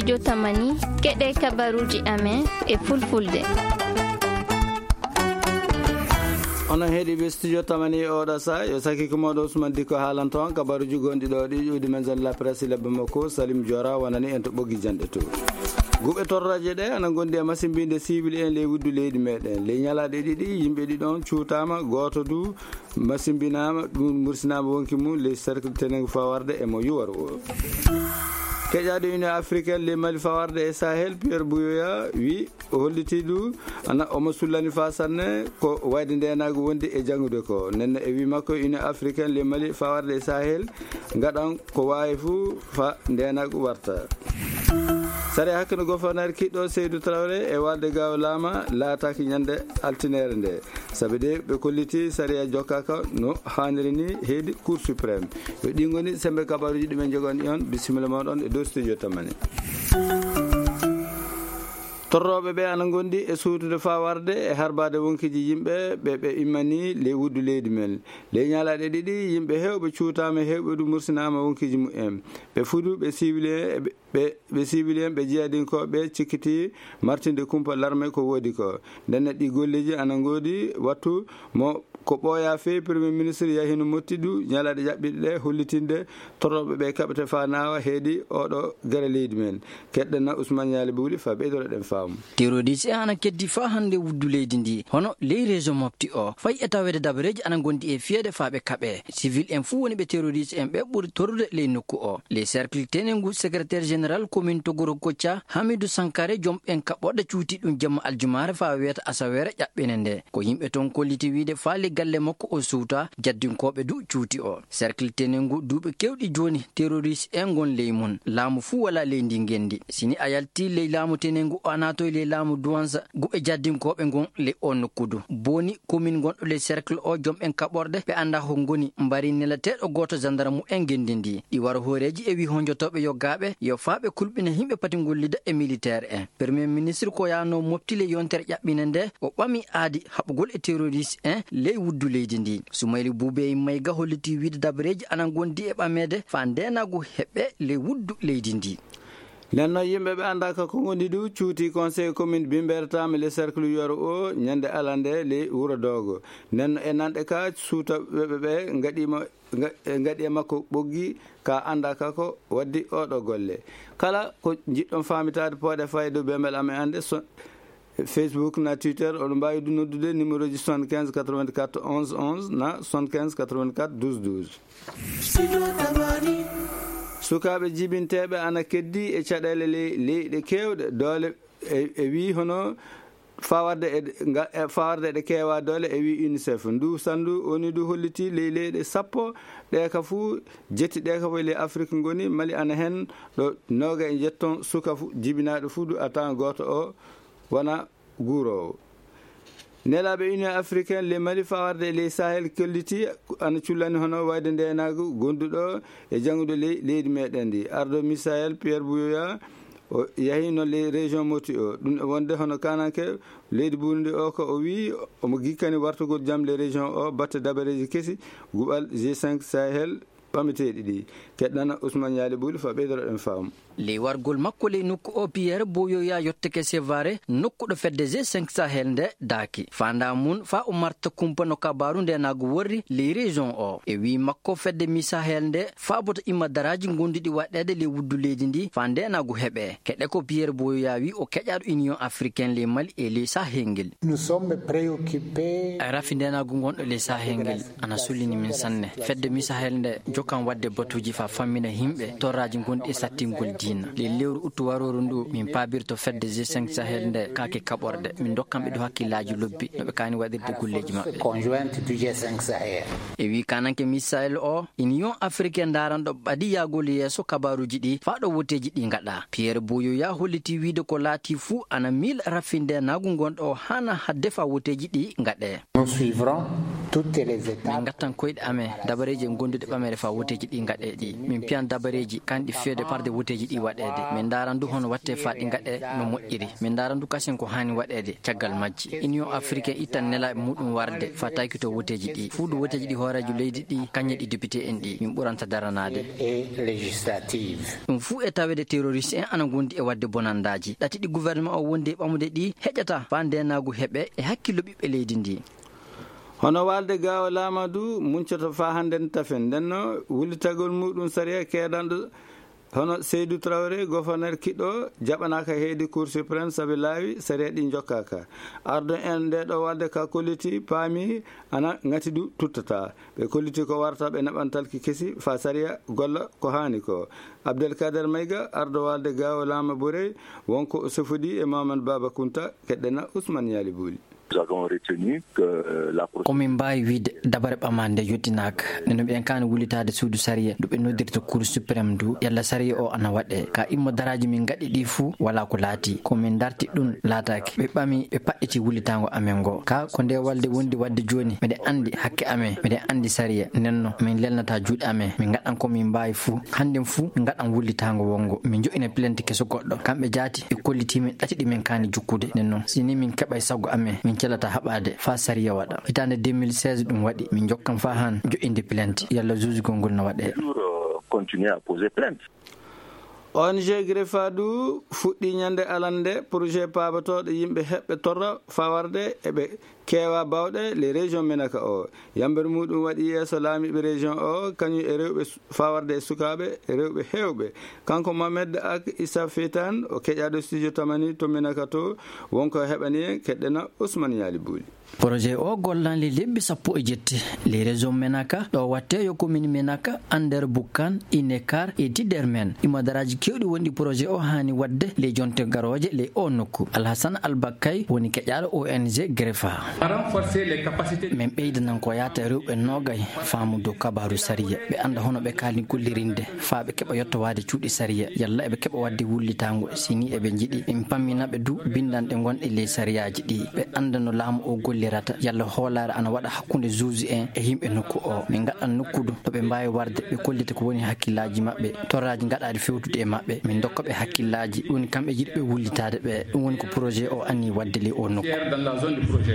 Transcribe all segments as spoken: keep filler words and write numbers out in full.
Yo tamani, keɗe kabaruuji amen e fulfulde. Onon heɗiiɓe Studio Tamani e oɗo sa, yo sakiko moɗo Ousmane Dikko haalanto on kabaruuji gonɗi ɗo ɗi ƴuwdi men zone la presse lebbe makko Salim Diora wonani en to ɓoggi janɗe to. Guɓe torraje ɗe ana gondi e masimbinde siwil en ley wuddu leydi meɗen. Ley ñalaɗe ɗiɗi, yimɓe ɗiɗon cuutama, gooto du masimbinaama, ɗum mursinaama wonki mum ley cercle tenengu fawarde e mo yuwaro o. Keƴaaɗo Union Africaine ley Mali fawarde e Sahel, Pierre Buyoya, wi o hollitii du ana omo sullani faa sanne ko wayde ndeenaagu wondi e janngude ko. Nden e wi makko, Union Africaine ley Mali fawarde e Sahel ngaɗan ko waawi fuu faa ndeenaagu warta. Sare hakkino goforneer kiɗɗo Seydou Traoré e walde gaawo laama laataaki ñande altineere nde. Sabi de ɓe kolliti sariya jokkaaka no haaniri ni heydi Cour suprême. Yo ɗi ngoni sembe kabaruuji ɗi men jogani on. Bisimilla moɗon e dow Studio Tamani. Torrooɓe ɓe ana ngondi e suutude faa warde e harbaade wonkiiji yimɓe ɓe ɓe immani ley wuddu leydi men. Ley ñalaaɗe ɗiɗi, yimɓe heewɓe cuutaama, heewɓe du mursinaama wonkiiji mumen. Ɓe fudu ɓe siwili en e ɓe, ɓe, ɓe siwili en, ɓe jiyadinkooɓe cikkiti martinde kumpa larme ko woodi ko. Nden ɗi golleeji ana ngoodi wattu mo ko ɓooya feewi. Premier ministre yahino motti du ñalaaɗe ƴaɓɓiɗe ɗe hollitinde torrooɓe ɓe kaɓete faa naawa heedi oɗo gere leydi men. Keɗɗen na Ousmane Ñaali Buuli faa ɓeydoro ɗen faamu. Terroriste en ana keddi faa hannde wuddu leydi ndi, hono ley région Mopti o. Fay e taweede dabareeji ana ngondi e fiyeede faa ɓe kaɓe. Civil en fuu woni ɓe terroriste en ɓe ɓuri torrude ley nokku o. Ley cercle tenengu secrétaire général commune Togoro Kocca, Hamidou Sankare, jom en kaɓɓorɗe cuuti ɗum jemma aljumaare faa weeta asaweere ƴaɓɓene nde. Ko yimɓe toon kolliti wiide faa ley galle makko o suuta, jaddinkooɓe du cuuti o. Cercle tenengu duuɓi keewɗi jooni terroriste en ngon ley mum. Laamu fuu walaa ley ndi ngenndi. Sini a yalti ley laamu tenengu o a naatoy ley laamu Duwansa, guɓe jaddinkooɓe ngon ley o nokku du. Boni commune ngonɗo ley cercle o, jom en kaɓorɗe ɓe anndaa ko ngoni, mbari nelateeɗo gooto gendarme en ngenndi ndi. Ɗi waro hooreeji e wi honjotooɓe yoggaaɓe yo faa ɓe kulɓina yimɓe pati ngollida e militaire en. Premier ministre ko yaano mofti ley yontere ƴaɓɓine nde, o ɓami aadi haɓugol e terroriste en ley wuddu leydi ndi. Soumaïla Boubèye Maïga holliti wiide dabareeji ana ngondi e ɓameede faa ndeenaagu heɓe ley wuddu leydi ndi. Nden noon, yimɓe ɓe anndaaka ko ngoni du cuuti conseil commune Bimbeere Taami le cercle Yoro o ñande alande ley wuro Doogo. Nden no e nanɗe ka suuta ɓe, ɓe, ɓe ngaɗiima, nga-, e ngaɗi e makko ɓoggi ka anndaaka ko waddi oɗo golle. Kala ko njiɗɗon faamitaade, pooɗe fayde bembel amen annde so-, Facebook na Twitter, oɗon mbaawi du noddude numéro ji soixante-quinze quatre-vingt-quatre onze onze na soixante-quinze quatre-vingt-quatre douze douze. Sukaaɓe jibinteeɓe ana keddi e caɗeele ley, leyɗe keewɗe doole e, e wii hono fawarde e, nga-, e fawarde ɗe keewaa doole e wii UNICEF. Ndu sandu woni ndu holliti ley leyɗe sappo ɗe ka fuu, jetti ɗe ka fof ley Afrik ngoni, Mali ana hen ɗo nooga e njetton suka fu-, jibinaaɗo fuu du a tawan gooto o wona guuroowo. Nelaaɓe Union Africaine ley Mali fawarde e ley Sahel kolliti ana cullani hono wayde ndeenaagu gonduɗo e janngude ley leydi meɗen ndi. Ardo Misael Pierre Buyoya o yahino ley région Moti o. Ɗum e wonde hono kananke leydi Burundi o ko o wii omo gikkani wartugol jam ley région o batte dabareeji kesi guɓal G cinq Sahel ɓameteeɗi ɗi. Keɗɗana Ousmane Yaali Buuli fa ɓeydoro ɗen faamu. Ley wargol makko ley nokku o, Pierre Boyoya yottake Sevare, nokku ɗo fedde G cinq Sahel nde daaki. Faandaa mum faa o marta kumpa no kabaaru ndeenaagu worri ley région o. E wii makko, fedde Mi Sahel nde faaboto imma daraaji gonduɗi waɗeede ley wuddu leydi ndi faa ndeenaagu heɓe. Keɗe ko Pierre Boyoya wii o keƴaaɗo Union Africaine ley Mali e ley Sahel ngel. Nous sommes préoccupés. Rafi ndeenaagu ngonɗo ley Sahel ngel ana sullini min sanne. Fedde Mi Sahel nde jokkan waɗde batuuji faa fammina yimɓe torraaji gonɗi e sattingol diina. Ley lewru uttu warooru ndu, min paabirto fedde G cinq Sahel nde kaake kaɓorɗe. Min ndokkan ɓe ɗo hakkillaaji lobbi no ɓe kaani waɗirde golleeji maɓɓe. Conjointe du G cinq Sahel. E wii kananke Mi Sahel o, Union Africaine ndaaranɗo ɓadi yaagol yeeso kabaaruuji ɗi faa ɗo woteeji ɗi ngaɗa. Pierre Boyoya holliti wiide ko laatii fuu ana miila rafi ndeenaagu ngonɗo o haana hadde faa woteeji ɗi ngaɗee. Nous suivrons toutes les étapes. Min ngattan koyɗe amen dabareeji e gondude ɓamere faa Woteeji ɗi ngaɗe ɗi, min piyan dabareeji kanɗi feede parde woteeji ɗi waɗeede. Min ndaara ndu hono watte faa ɗi ngaɗe no moƴƴiri. Min ndaara ndu kasen ko haani waɗeede caggal majji. Union africaine ittan nelaaɓe muɗum warde faa taykito woteeji ɗi. Fuu ɗo woteeji ɗi hooreejo leydi ɗi, kañe ɗi député en ɗi, min ɓuranta daranaade. Et législatives. Ɗum fuu e taweede terroriste en ana ngondi e waɗde bonandaaji. Ɗati ɗi gouvernement o wondi e ɓamude ɗi heƴata faa ndeenaagu heɓe e hakkillo ɓiɓɓe leydi ndi. Hono walde gaawo laamadu muncoto faa hannden tafen. Nden no wullitagol muɗum sariya keedanɗo hono Seydou Traoré, gouverneur kiɗɗo, jaɓanaaka heedi Cour suprême sabi laawi sariya ɗi njokkaaka. Ardo en nde ɗo walde ka kolliti paami ana ngati du tuttata. Ɓe kolliti ko warata ɓe naɓantalki kesi faa sariya golla ko haani ko. Abdelkader Mayga, ardo walde gaawo laama Borey, wonko o sofodi e Mamadou Baba Kunta, keɗɗena Ousmane Yali Bouli. Nous avons retenu que, euh, la procédure. Ko min mbaawi wiyde dabare ɓamaande nde yottinaaka. Nde no mbiyen kaani wullitaade suudu sariya, ndu ɓe noddirta Cour suprême ndu, yalla sariya o ana waɗe. Ka immo daraaji min ngaɗi ɗi fuu, walaa ko laati. Ko min darti ɗum laataaki. Ɓe ɓami, ɓe paɗɗiti wullitaango amen ngo. Ka ko nde walde wondi waɗde jooni, miɗen anndi hakke amen, miɗen anndi sariya. Nden no, min lelnataa juuɗe amen, min ngaɗan ko min mbaawi fuu. Hannden fuu, min ngaɗan wullitaango wonngo. Min joƴƴina plainte keso goɗɗo. Kamɓe jaati, ɓe kollitii min ɗati ɗi min kaani jukkude. Nden noon, si ni min keɓay sago amen, min celataa haɓaade faa sariya waɗa. Hitaande deux mille seize ɗum waɗi, min jokkan faa han joƴƴinde plainte. Yalla juujugol ngol no waɗee. Toujours, euh, continuer à poser plainte. O N G Grefa du fuɗɗii ñande alande projet paabotooɗo yimɓe heɓɓe torra faa warde eɓe keewa baawɗe les régions menaka o. Yammbere muɗum waɗi yeeso laamiiɓe région o, kañum e rewɓe su-, faa warde e sukaaɓe, e rewɓe heewɓe. Kanko Mohamed Ak Issa Feytan, o keƴaaɗo studio Tamani to Menaka to, wonko heɓani en, keɗɗena Ousmane Yali Bouli. Projet o gollan le lebbi sappo e jetti. Les régions menaka, ɗo watte yo commune Menaka, Ander Bukkan, Inekar e Tidermen. Imo daraaji kewɗi wonɗi projet o haani waɗde le jonte garooje le o nokku. Alhassan Albakkay woni keƴaaɗo O N G Grefa. Renforcer les capacités. Min ɓeydanan ko yaata rewɓe noogay faamu dow kabaaru sariya. Ɓe annda hono ɓe kaali gollirinde faa ɓe keɓa yottowaade cuuɗi sariya. Yalla eɓe keɓa waɗde wullitaango. Si ni eɓe njiɗi, min pammina ɓe du binndanɗe gonɗe ley sariyaaji ɗi. Ɓe annda no laamu o gollirata. Yalla hoolaare ana waɗa hakkunde juge en e yimɓe nokku o. Min ngaɗan nokku du to ɓe mbaawi warde, ɓe kollita ko woni hakkillaaji maɓɓe. Torraaji ngaɗaaɗi fewtude e maɓɓe. Min ndokka ɓe hakkillaaji. Ɗum woni kamɓe jiɗi ɓe wullitaade ɓe. Ɗum woni ko projet o anni waɗde ley o nokku.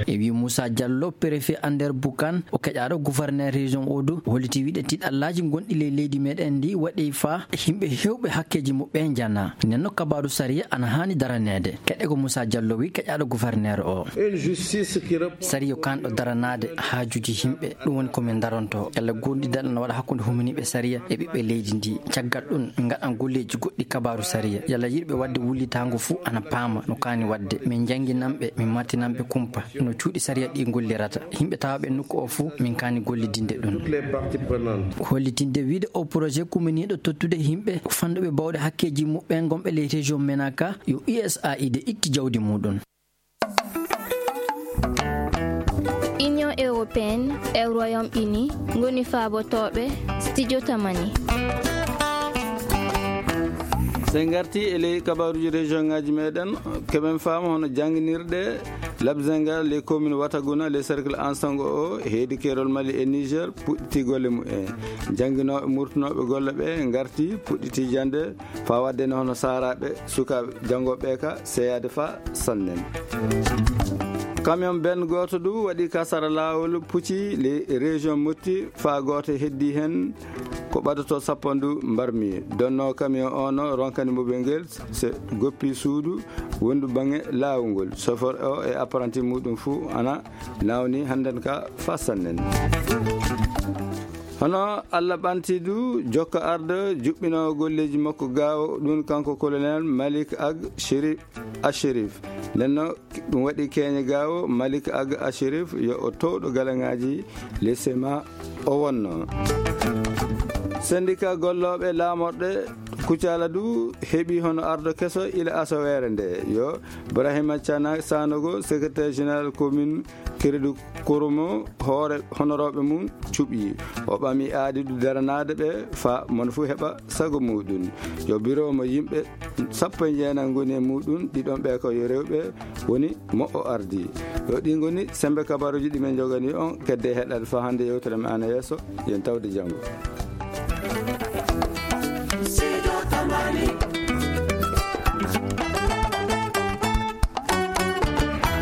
E wii Moussa Diallo, préfet Ander Boukan, o keƴaaɗo gouverneur région o du, holliti wiide tiiɗallaaji gonɗi ley leydi meɗen ndi waɗi faa yimɓe heewɓe hakkeeji muɓɓen njana. Nden no kabaaru sariya ana haani daraneede. Keɗe ko Moussa Diallo wi keƴaaɗo gouverneur o. Une justice qui répond. Sariya kanɗo daranaade haajuuji yimɓe, ɗum woni ko min daronto. Yalla goonɗidal ana waɗa hakkunde huminiiɓe sariya e ɓiɓɓe leydi ndi. Caggal ɗum, min ngaɗan golleeji goɗɗi kabaaru sariya. Yalla yiɗɓe waɗde wullitaango fuu ana paama no kaani waɗde. Min njannginan ɓe, min mattinan ɓe kumpa no cuuɗi sariya ɗi gollirata. Yimɓe tawaaɓe nokku o fuu, min kaani gollidinde ɗum. Toutes les parties prenantes. Hollitinde wiide o projet kumminiiɗo tottude yimɓe fanɗuɓe baawɗe hakkeeji muɓɓen gonɓe ley région Menaka, yo U S A I D itti jawdi muɗum. Union européenne e Royaume-Uni ngoni faabotooɓe studio Tamani. So en ngarti e ley kabaaruuji région ngaji meɗen, keɓen faama hono jannginirɗe Labzenga, les communes Wataguna, les cercles Ansango o, heedi keerol Mali e Niger, puɗɗiti golle mumen. Jannginooɓe murtunooɓe golle ɓe ngarti, puɗɗiti jannde, faa waɗde ne hono saaraaɓe, sukaaɓe janngooɓe ka seeyaade faa sannen. Camion ben gooto du waɗi ka sara laawol pucci les régions motti, faa gooto heddi heen ko ɓadotoo sappandu mbarmi. Donno camion o no ronkani mobel ngel, se goppi suudu wondu baŋŋe laawol ngol. Chauffeur o e apprenti muɗum fuu ana nawni hannden ka faa sannen. Hono Allah ɓanti du jokka ardo juɓɓinoowo golleeji makko gaawo, ɗum kanko colonel Malik Ag Chérif Achérif. Nden no ɗum waɗi keeñe gaawo Malik Ag Achérif yo o towɗo galaŋaaji les sema o wonno. Syndicat gollooɓe laamorɗe Kucala du heɓi hono ardo keso ila asaweere nde, yo Ibrahima Cana Sanogo, secrétaire général commune Keredu Koromo, hoore honorooɓe mum cuɓi. O ɓami aadi du daranaade ɓe faa mon fuu heɓa sago muɗum. Yo biro mo yimɓe sappo e jeenayi ngoni e muɗum, ɗiɗon ɓe ko yo rewɓe woni mo o ardi. Yo ɗi ngoni sembe kabaruuji ɗi min njogani on, kedde heɗaade faa hannde yewtere men ana yeeso, yen tawde janngo. Tamani.